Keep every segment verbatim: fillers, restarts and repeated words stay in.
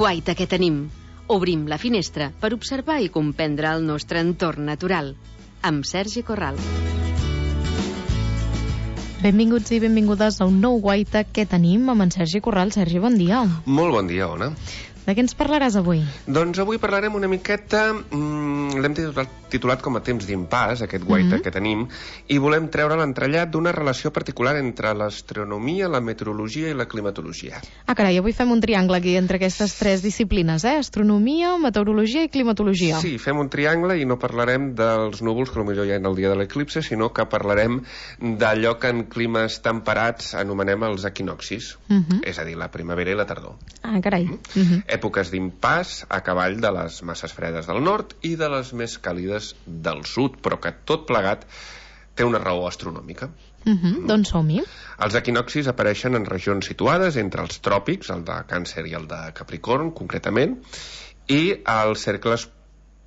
guaita que tenim. Obrim la finestra per observar i comprendre el nostre entorn natural. Amb Sergi Corral. Benvinguts i benvingudes a un nou guaita que tenim amb en Sergi Corral. Sergi, bon dia. Molt bon dia, Ona. De què ens parlaràs avui? Doncs avui parlarem una miqueta, mmm, l'hem titulat, titulat com a temps d'impàs, aquest guaita mm-hmm. que tenim, i volem treure l'entrellat d'una relació particular entre l'astronomia, la meteorologia i la climatologia. Ah, carai, avui fem un triangle aquí entre aquestes tres disciplines, eh? Astronomia, meteorologia i climatologia. Sí, fem un triangle i no parlarem dels núvols, que potser hi ha el dia de l'eclipse, sinó que parlarem d'allò que en climes temperats anomenem els equinoccis, mm-hmm. és a dir, la primavera i la tardor. Ah, carai. Mm-hmm. Èpoques d'impàs a cavall de les masses fredes del nord i de les més càlides del sud, però que tot plegat té una raó astronòmica. Uh-huh. Mm. Doncs som-hi. Els equinoccis apareixen en regions situades entre els tròpics, el de Càncer i el de Capricorn, concretament, i els cercles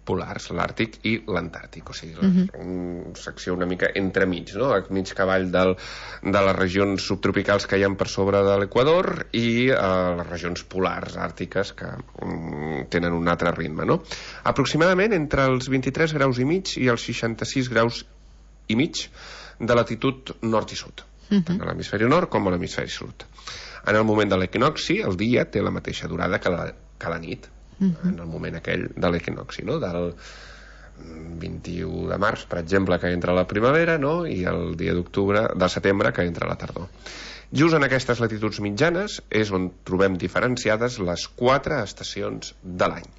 polars, l'Àrtic i l'Antàrtic, o sigui, uh-huh. una secció una mica entremig, no? A mig cavall del, de les regions subtropicals que hi ha per sobre de l'Equador i eh, les regions polars àrtiques que um, tenen un altre ritme, no? Aproximadament entre els vint-i-tres graus i mig i els seixanta-sis graus i mig de latitud nord i sud, uh-huh. tant a l'hemisferi nord com a l'hemisferi sud. En el moment de l'equinocci, el dia té la mateixa durada que la, que la nit, Uh-huh. en el moment aquell de l'equinocci, no? Del vint-i-u de març, per exemple, que entra la primavera, no? I el dia d'octubre, de setembre, que entra la tardor. Just en aquestes latituds mitjanes és on trobem diferenciades les quatre estacions de l'any: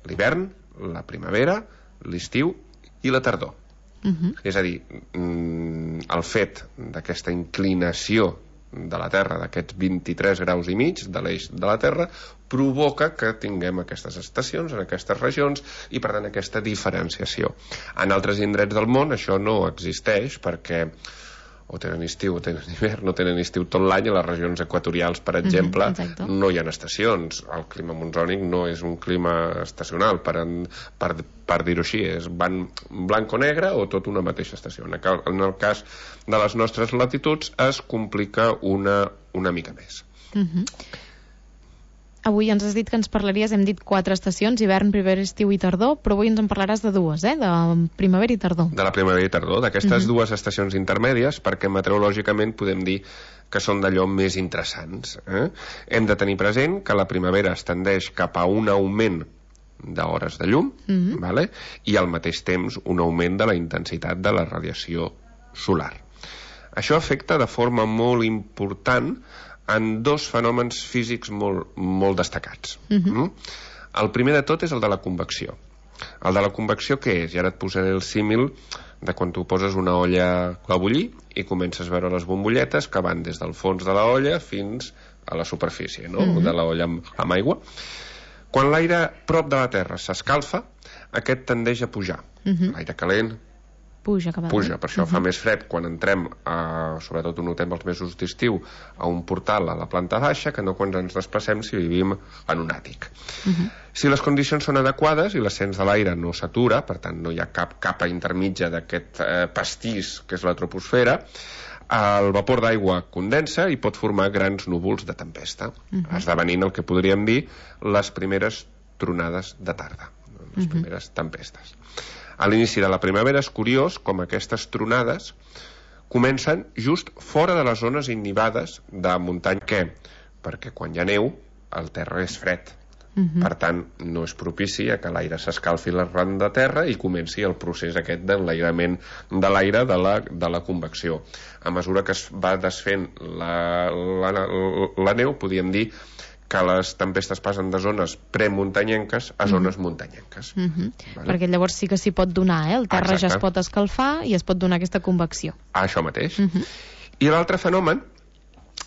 l'hivern, la primavera, l'estiu i la tardor. Uh-huh. És a dir, el fet d'aquesta inclinació de la Terra, d'aquests vint-i-tres graus i mig de l'eix de la Terra, provoca que tinguem aquestes estacions en aquestes regions i, per tant, aquesta diferenciació. En altres indrets del món això no existeix perquè o tenen estiu o tenen hivern, no tenen estiu tot l'any. A les regions equatorials, per exemple, mm-hmm, no hi ha estacions. El clima monsònic no és un clima estacional, per, en, per, per dir-ho així, és van blanc o negre o tot una mateixa estació. En el cas de les nostres latituds es complica una, una mica més. Mm-hmm. Avui ens has dit que ens parlaries, hem dit quatre estacions, hivern, primavera, estiu i tardor, però avui ens en parlaràs de dues, eh? De primavera i tardor. De la primavera i tardor, d'aquestes uh-huh. dues estacions intermèdies, perquè meteorològicament podem dir que són d'allò més interessants. Eh? Hem de tenir present que la primavera es tendeix cap a un augment d'hores de llum, uh-huh. vale? I al mateix temps un augment de la intensitat de la radiació solar. Això afecta de forma molt important en dos fenòmens físics molt, molt destacats. Uh-huh. Mm? El primer de tot és el de la convecció. El de la convecció què és? I ara et posaré el símil de quan tu poses una olla a bullir i comences a veure les bombolletes que van des del fons de la olla fins a la superfície, no? Uh-huh. De la olla amb, amb aigua. Quan l'aire prop de la Terra s'escalfa, aquest tendeix a pujar. Uh-huh. L'aire calent puja, puja, per això uh-huh. fa més fred quan entrem, a, sobretot ho notem els mesos d'estiu, a un portal a la planta baixa que no quan ens desplacem si vivim en un àtic. Uh-huh. Si les condicions són adequades i l'ascens de l'aire no s'atura, per tant no hi ha cap capa intermitja d'aquest eh, pastís que és la troposfera, el vapor d'aigua condensa i pot formar grans núvols de tempesta, uh-huh. esdevenint el que podríem dir les primeres tronades de tarda, les uh-huh. primeres tempestes. A l'inici de la primavera és curiós com aquestes tronades comencen just fora de les zones innivades de muntanya. Què? Perquè quan hi ha neu, el terra és fred. Uh-huh. Per tant, no és propici a que l'aire s'escalfi l'arran de terra i comenci el procés aquest d'enlairament de l'aire de la, de la convecció. A mesura que es va desfent la, la, la, la neu, podríem dir que les tempestes passen de zones premuntanyenques a zones mm-hmm. muntanyenques. Mm-hmm. Vale? Perquè llavors sí que s'hi pot donar, eh? El terra Exacte. Ja es pot escalfar i es pot donar aquesta convecció. Això mateix. Mm-hmm. I l'altre fenomen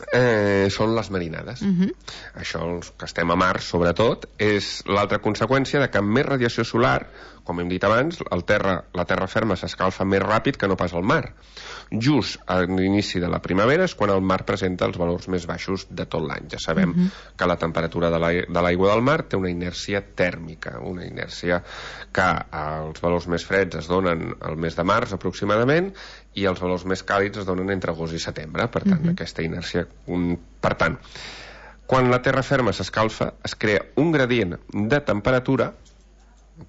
eh, són les marinades. Mm-hmm. Això, els que estem a mar, sobretot, és l'altra conseqüència de que amb més radiació solar, com hem dit abans, el terra, la terra ferma s'escalfa més ràpid que no pas el mar. Just a l'inici de la primavera és quan el mar presenta els valors més baixos de tot l'any. Ja sabem uh-huh. que la temperatura de l'aigua del mar té una inèrcia tèrmica, una inèrcia que els valors més freds es donen al mes de març aproximadament i els valors més càlids es donen entre agost i setembre. Per tant, uh-huh. aquesta inèrcia... Per tant, Quan la terra ferma s'escalfa, es crea un gradient de temperatura,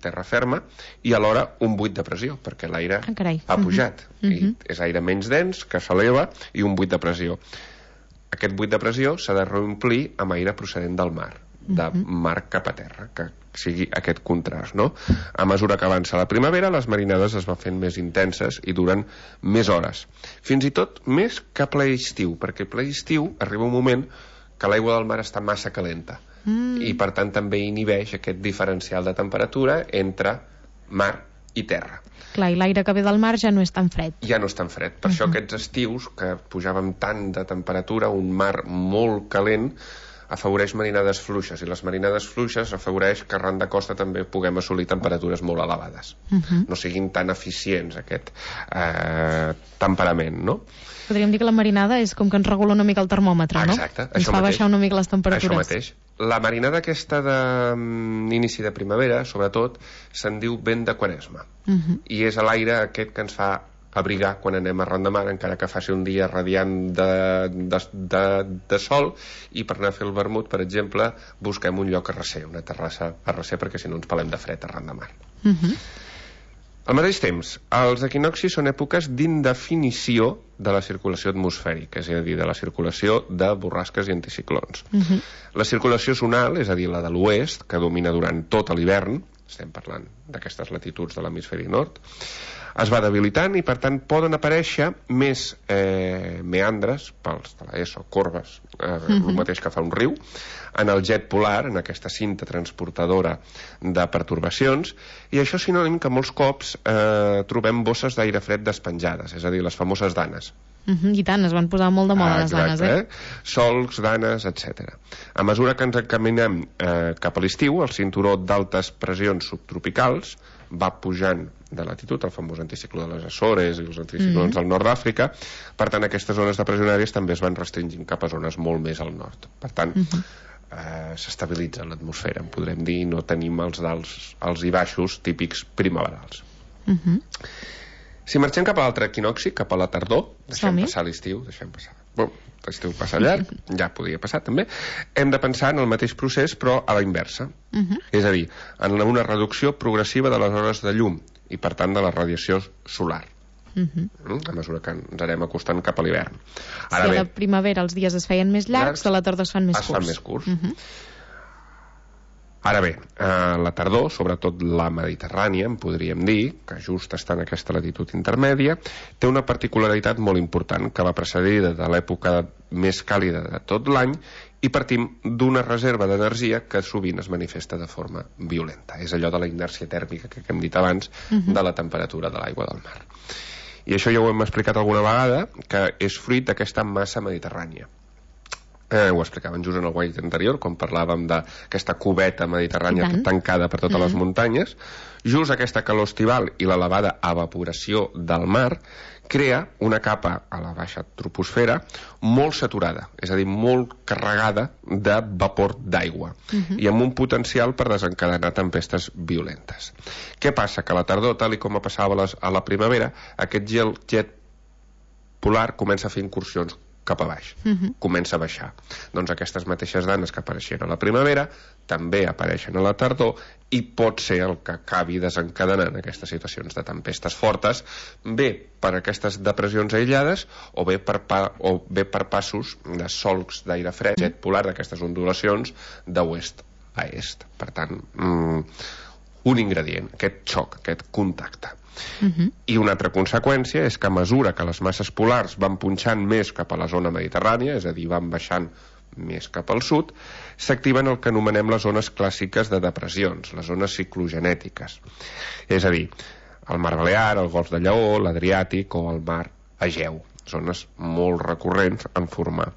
terra ferma, i alhora un buit de pressió, perquè l'aire ah, ha pujat. Uh -huh. I és aire menys dens, que s'eleva, i un buit de pressió. Aquest buit de pressió s'ha de reomplir amb aire procedent del mar, de uh -huh. mar cap a terra, que sigui aquest contrast, no? A mesura que avança la primavera, les marinades es van fent més intenses i duren més hores. Fins i tot més que ple estiu, perquè ple estiu arriba un moment que l'aigua del mar està massa calenta. Mm. I per tant també inhibeix aquest diferencial de temperatura entre mar i terra. Clar, i l'aire que ve del mar ja no és tan fred. Ja no és tan fred. Per uh -huh. això aquests estius, que pujàvem tant de temperatura, un mar molt calent, afavoreix marinades fluixes, i les marinades fluixes afavoreix que arran de costa també puguem assolir temperatures molt elevades. Uh -huh. No siguin tan eficients aquest eh, temperament, no? Podríem dir que la marinada és com que ens regula una mica el termòmetre, no? Exacte, ens fa mateix. Baixar una mica les temperatures. Això mateix. La marinada aquesta d'inici de, de primavera, sobretot, se'n diu vent de Quaresma. Uh -huh. I és l'aire aquest que ens fa abrigar quan anem arran de mar, encara que faci un dia radiant de, de, de, de sol, i per anar a fer el vermut, per exemple, busquem un lloc a recer, una terrassa a recer, perquè si no ens pelem de fred arran de mar. Uh -huh. Al mateix temps, els equinoccis són èpoques d'indefinició de la circulació atmosfèrica, és a dir, de la circulació de borrasques i anticiclons. Uh -huh. La circulació zonal, és a dir, la de l'oest, que domina durant tot l'hivern, estem parlant d'aquestes latituds de l'hemisferi nord, es va debilitant i per tant poden aparèixer més eh, meandres, pels de l'ESO, corbes, eh, uh -huh. el mateix que fa un riu, en el jet polar, en aquesta cinta transportadora de pertorbacions, i això és sinònim que molts cops eh, trobem bosses d'aire fred despenjades, és a dir, les famoses danes. Uh -huh, I tant, es van posar molt de moda ah, les danes, eh? eh? Solcs, danes, etcètera. A mesura que ens encaminem eh, cap a l'estiu, el cinturó d'altes pressions subtropicals va pujant de latitud, el famós anticicló de les Açores i els anticiclons mm. del nord d'Àfrica. Per tant, aquestes zones de pressionàries també es van restringint cap a zones molt més al nord. Per tant, mm -hmm. eh, s'estabilitza l'atmosfera, en podrem dir, no tenim els alts, alts i baixos típics primaverals. Mm -hmm. Si marxem cap a l'altre equinocci, cap a la tardor, deixem Som-hi. passar l'estiu, deixem passar... Bon, l'estiu passa llarg, ja podria passar també, hem de pensar en el mateix procés però a la inversa. Uh -huh. És a dir, en una reducció progressiva de les hores de llum i per tant de la radiació solar. Uh -huh. A mesura que ens anem acostant cap a l'hivern. Si a la primavera els dies es feien més llargs, a la tardor es fan més es curts. Es fan més curts. Uh -huh. Ara bé, a la tardor, sobretot la Mediterrània, en podríem dir, que just està en aquesta latitud intermèdia, té una particularitat molt important, que va precedida de l'època més càlida de tot l'any, i partim d'una reserva d'energia que sovint es manifesta de forma violenta. És allò de la inèrcia tèrmica que hem dit abans, uh-huh. de la temperatura de l'aigua del mar. I això ja ho hem explicat alguna vegada, que és fruit d'aquesta massa mediterrània. Eh, ho explicaven just en el guai anterior, quan parlàvem d'aquesta cubeta mediterrània tancada per totes mm. les muntanyes. Just aquesta calor estival i l'elevada evaporació del mar crea una capa a la baixa troposfera molt saturada, és a dir, molt carregada de vapor d'aigua, mm-hmm. i amb un potencial per desencadenar tempestes violentes. Què passa? Que a la tardor, tal i com passava a, les, a la primavera, aquest gel jet polar comença a fer incursions cap a baix, uh-huh. comença a baixar. Doncs aquestes mateixes danes que apareixien a la primavera també apareixen a la tardor i pot ser el que acabi desencadenant aquestes situacions de tempestes fortes, bé per aquestes depressions aïllades o bé per, pa, o bé per passos de solcs d'aire fred, jet polar, d'aquestes ondulacions d'oest a est. Per tant, mm, un ingredient, aquest xoc, aquest contacte. Uh-huh. I una altra conseqüència és que a mesura que les masses polars van punxant més cap a la zona mediterrània, és a dir, van baixant més cap al sud, s'activen el que anomenem les zones clàssiques de depressions, les zones ciclogenètiques. És a dir, el mar Balear, el golf de Lleó, l'Adriàtic o el mar Egeu, zones molt recurrents en formar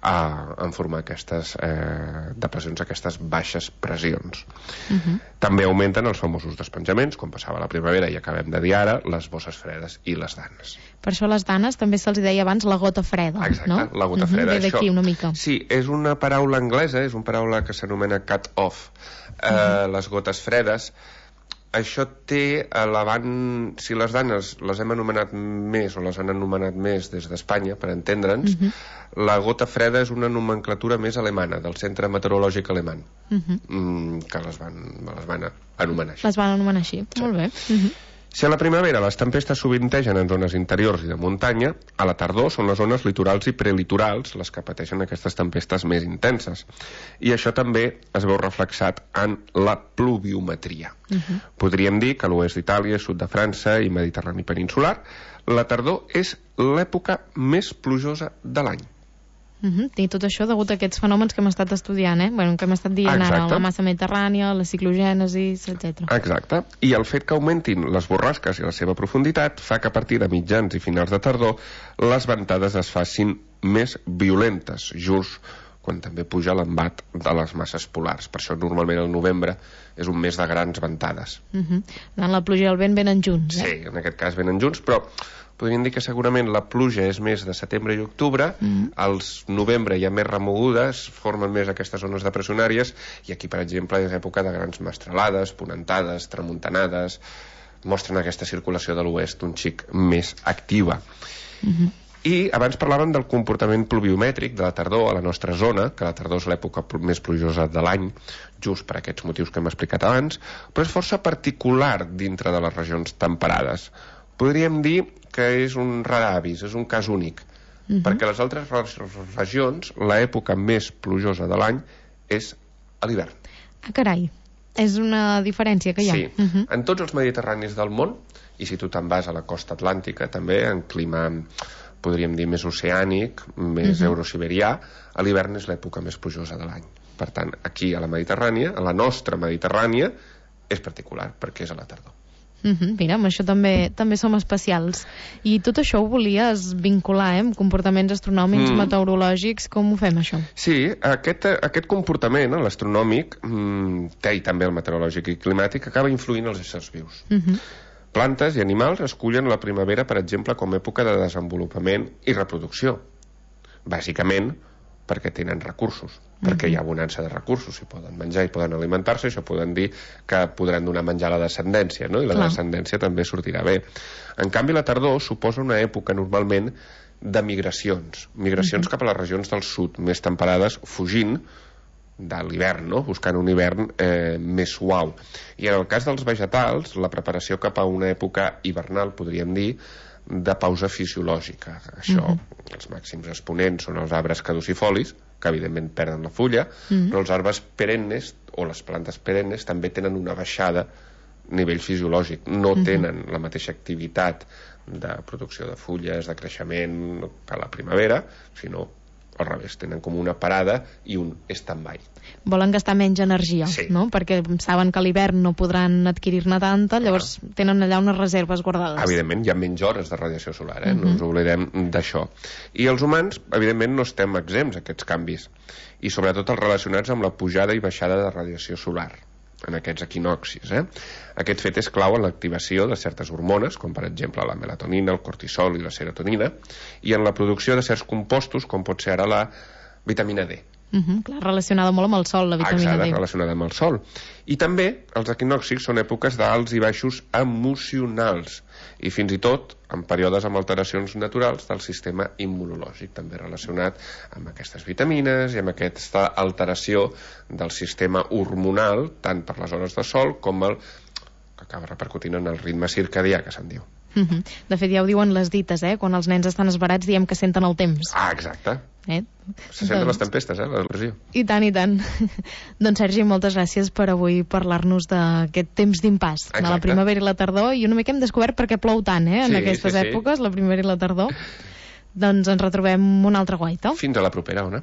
a, en formar aquestes eh, depressions, aquestes baixes pressions. Uh-huh. També augmenten els famosos despenjaments, com passava a la primavera i acabem de dir ara, les bosses fredes i les danes. Per això les danes també se'ls deia abans la gota freda. Exacte, no? La gota freda. Uh-huh, ve d'aquí una mica. Sí, és una paraula anglesa, és una paraula que s'anomena cut-off. Uh, uh-huh. Les gotes fredes això té elevant... Si les danes les hem anomenat més o les han anomenat més des d'Espanya, per entendre'ns, uh-huh. la gota freda és una nomenclatura més alemana, del Centre Meteorològic Alemany, uh-huh. mm, que les van, les van anomenar així. Les van anomenar així, sí. Molt bé. Uh-huh. Si a la primavera les tempestes sovintegen en zones interiors i de muntanya, a la tardor són les zones litorals i prelitorals les que pateixen aquestes tempestes més intenses. I això també es veu reflexat en la pluviometria. Uh-huh. Podríem dir que a l'oest d'Itàlia, sud de França i Mediterrani peninsular, la tardor és l'època més plujosa de l'any. Uh-huh. I tot això degut a aquests fenòmens que hem estat estudiant, eh? Bueno, que hem estat dient Exacte. Ara, la massa mediterrània, la ciclogènesis, etcètera. Exacte. I el fet que augmentin les borrasques i la seva profunditat fa que a partir de mitjans i finals de tardor les ventades es facin més violentes, just quan també puja l'embat de les masses polars. Per això normalment el novembre és un mes de grans ventades. Uh-huh. La pluja i el vent venen junts, eh? Sí, en aquest cas venen junts, però podríem dir que segurament la pluja és més de setembre i octubre, mm. als novembre hi ha més remogudes, formen més aquestes zones depressionàries, i aquí, per exemple, és època de grans mestralades, ponentades, tramuntanades, mostren aquesta circulació de l'oest un xic més activa. Mm-hmm. I abans parlàvem del comportament pluviomètric de la tardor a la nostra zona, que la tardor és l'època més plujosa de l'any, just per aquests motius que hem explicat abans, però és força particular dintre de les regions temperades. Podríem dir que és un rar avis, és un cas únic, uh-huh. perquè a les altres regions l'època més plujosa de l'any és a l'hivern. Ah, carai, és una diferència que hi ha. Sí, uh-huh. en tots els mediterranis del món, i si tu te'n vas a la costa atlàntica també, en clima, podríem dir, més oceànic, més uh-huh. eurosiberià, a l'hivern és l'època més plujosa de l'any. Per tant, aquí a la Mediterrània, a la nostra Mediterrània, és particular, perquè és a la tardor. Uh-huh. Mira, amb això també també som especials. I tot això ho volies vincular, eh, amb comportaments astronòmics, mm. meteorològics. Com ho fem, això? Sí, aquest, aquest comportament, l'astronòmic, mm, té i també el meteorològic i climàtic, acaba influint els éssers vius. Uh-huh. Plantes i animals escullen la primavera, per exemple, com a època de desenvolupament i reproducció. Bàsicament perquè tenen recursos, uh-huh. perquè hi ha abundància de recursos, i poden menjar i poden alimentar-se, això poden dir que podran donar menjar a la descendència, no? I la Clar. descendència també sortirà bé. En canvi, la tardor suposa una època normalment de migracions, migracions uh-huh. cap a les regions del sud, més temperades, fugint de l'hivern, no? Buscant un hivern eh, més suau. I en el cas dels vegetals, la preparació cap a una època hivernal, podríem dir, de pausa fisiològica. Això, uh-huh. els màxims exponents són els arbres caducifolis, que evidentment perden la fulla, uh-huh. però els arbres perennes o les plantes perennes també tenen una baixada a nivell fisiològic, no uh-huh. tenen la mateixa activitat de producció de fulles, de creixement que a la primavera, sinó al revés, tenen com una parada i un stand-by. Volen gastar menys energia, sí. no? Perquè saben que a l'hivern no podran adquirir-ne tanta, llavors ah. tenen allà unes reserves guardades. Evidentment, hi ha menys hores de radiació solar, eh? Uh-huh. No ens oblidem d'això. I els humans, evidentment, no estem exempts a aquests canvis, i sobretot els relacionats amb la pujada i baixada de radiació solar en aquests equinoccis. Eh? Aquest fet és clau en l'activació de certes hormones, com per exemple la melatonina, el cortisol i la serotonina, i en la producció de certs compostos, com pot ser ara la vitamina D. Uh-huh, clar, relacionada molt amb el sol, la vitamina Exacte, D. relacionada amb el sol. I també els equinoccis són èpoques d'alts i baixos emocionals, i fins i tot en períodes amb alteracions naturals del sistema immunològic, també relacionat amb aquestes vitamines i amb aquesta alteració del sistema hormonal, tant per les hores de sol com el que acaba repercutint en el ritme circadià, que se'n diu. Uh-huh. De fet, ja ho diuen les dites, eh? Quan els nens estan esverats diem que senten el temps. Ah, exacte. Eh? Se senten doncs... les tempestes, eh? La pressió. I tant, i tant. Doncs, Sergi, moltes gràcies per avui parlar-nos d'aquest temps d'impàs, de la primavera i la tardor, i una mica hem descobert per què plou tant, eh? En sí, aquestes sí, èpoques, sí. La primavera i la tardor. Doncs ens retrobem una altra guaita. Fins a la propera, Ona.